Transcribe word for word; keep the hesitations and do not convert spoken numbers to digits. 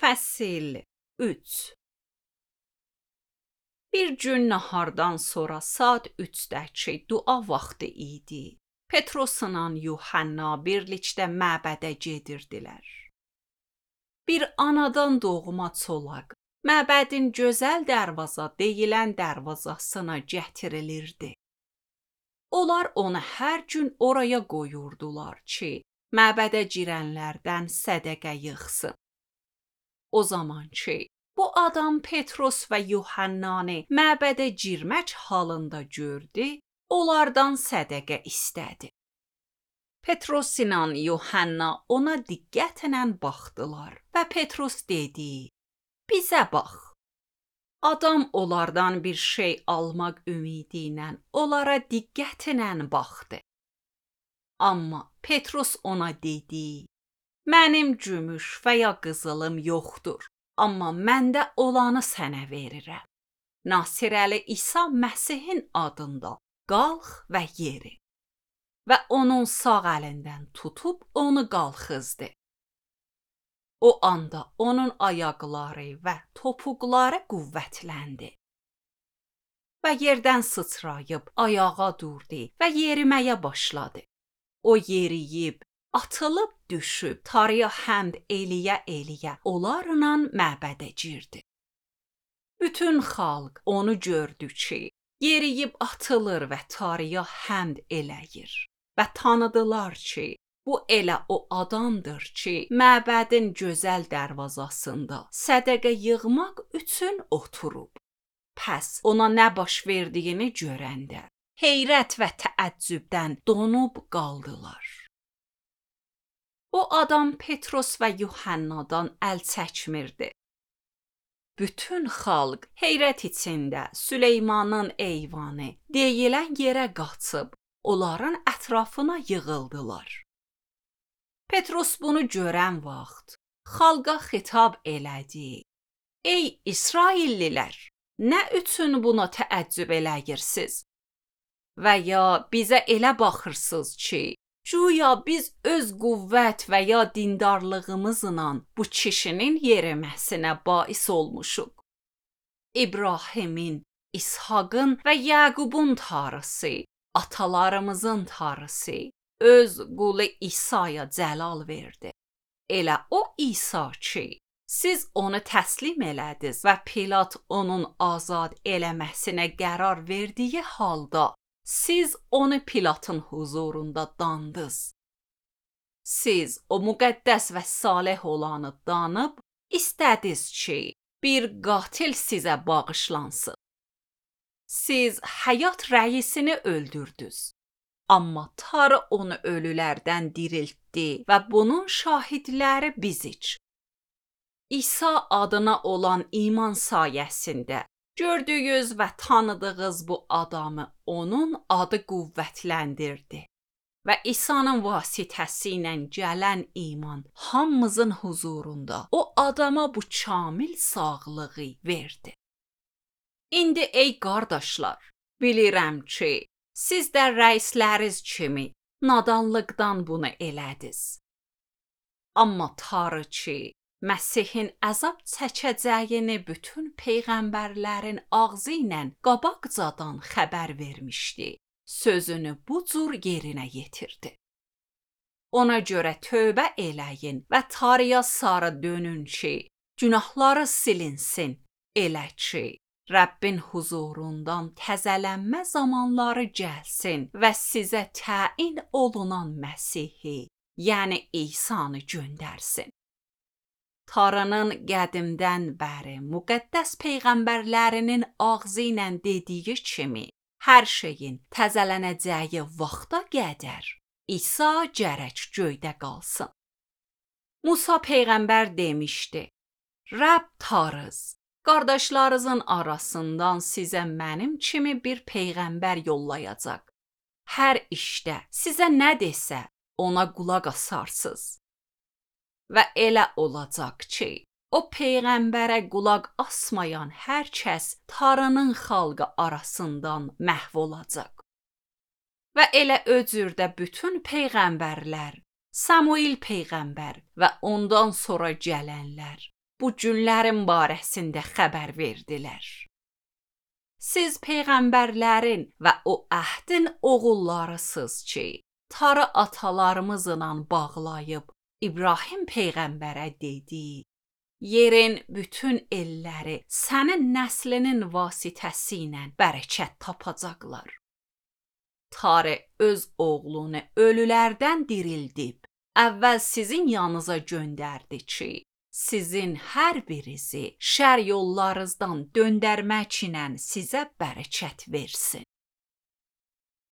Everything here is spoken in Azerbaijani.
Fəsil üç. Bir gün nahardan sonra saat üçdəki dua vaxtı idi. Petrosla Yuhanna birlikdə məbədə gedirdilər. Bir anadan doğma çolaq məbədin gözəl dərvaza deyilən dərvazasına gətirilirdi. Onlar onu hər gün oraya qoyurdular ki, məbədə girənlərdən sədəqə yığsın. O zaman ki, bu adam Petros və Yuhannanı məbədə girmək halında gördü, onlardan sədəqə istədi. Petros ilə Yuhanna ona diqqətlə baxdılar və Petros dedi, bizə bax. Adam onlardan bir şey almaq ümidi ilə onlara diqqətlə baxdı. Amma Petros ona dedi, mənim gümüş və ya qızılım yoxdur, amma məndə olanı sənə verirəm. Nasirəli İsa Məsihin adında qalx və yeri. Və onun sağ əlindən tutub onu qalxızdı. O anda onun ayaqları və topuqları qüvvətləndi. Və yerdən sıçrayıb ayağa durdu və yeriməyə başladı. O yeriyib, atılıb düşüb, Tanrıya həmd eləyə-eləyə onlarla məbədə girdi. Bütün xalq onu gördü ki, yeriyib atılır və Tanrıya həmd eləyir. Və tanıdılar ki, bu elə o adamdır ki, məbədin gözəl dərvazasında sədəqə yığmaq üçün oturub. Pəs ona nə baş verdiyini görəndə, heyrət və təəccübdən donub qaldılar. O adam Petros və Yuhannadan əl çəkmirdi. Bütün xalq heyrət içində Süleymanın eyvanı deyilən yerə qaçıb, onların ətrafına yığıldılar. Petros bunu görən vaxt xalqa xitab elədi. Ey İsraillilər, nə üçün buna təəccüb eləyirsiniz? Və ya bizə elə baxırsınız ki, güya biz öz qüvvət və ya dindarlığımızla bu kişinin yeriməsinə bais olmuşuq. İbrahimin, İshaqın və Yaqubun Tanrısı, atalarımızın Tanrısı, öz qulu İsa'ya cəlal verdi. Elə o İsa ki, siz onu təslim elədiniz və Pilat onun azad eləməsinə qərar verdiyi halda, siz onu Pilatın huzurunda dandınız. Siz o müqəddəs və salih olanı danıb, istədiniz ki, bir qatil sizə bağışlansın. Siz həyat rəisini öldürdünüz. Amma Tanrı onu ölülərdən diriltdi və bunun şahidləri bizik. İsa adına olan iman sayəsində gördüyünüz və tanıdığınız bu adamı onun adı qüvvətləndirdi. Və İsa'nın vasitəsi ilə gələn iman hamımızın huzurunda o adama bu kamil sağlığı verdi. İndi ey qardaşlar, bilirəm ki, siz də rəisləriz kimi nadanlıqdan bunu elədiniz. Amma Tanrı ki, Məsihin əzab çəkəcəyini bütün peyğəmbərlərin ağzı ilə qabaqcadan xəbər vermişdi. Sözünü bu cür yerinə yetirdi. Ona görə tövbə eləyin və Tanrıya sarı dönün ki, günahları silinsin. Elə ki, Rəbbin huzurundan təzələnmə zamanları gəlsin və sizə təyin olunan Məsihi, yəni İsa'nı göndərsin. Tanrının qədimdən bəri müqəddəs peyğəmbərlərinin ağzı ilə dediyi kimi, hər şeyin təzələnəcəyi vaxta qədər İsa gərək göydə qalsın. Musa peyğəmbər demişdi, Rəbb Tanrınız, qardaşlarınızın arasından sizə mənim kimi bir peyğəmbər yollayacaq. Hər işdə sizə nə desə, ona qulaq asarsınız. Və elə olacaq ki, o peyğəmbərə qulaq asmayan hər kəs Tanrının xalqı arasından məhv olacaq. Və elə o cürdə bütün peyğəmbərlər, Samuel peyğəmbər və ondan sonra gələnlər bu günlərin barəsində xəbər verdilər. Siz peyğəmbərlərin və o əhdin oğullarısınız ki, tarı atalarımızla bağlayıb İbrahim peyğəmbərə dedi: yerin bütün elləri sənin nəslinin vasitəsilə bərəkət tapacaqlar. Tarı öz oğlunu ölülərdən dirildib, əvvəl sizin yanınıza göndərdi ki, sizin hər birinizi şər yollarınızdan döndərmək ilə sizə bərəkət versin.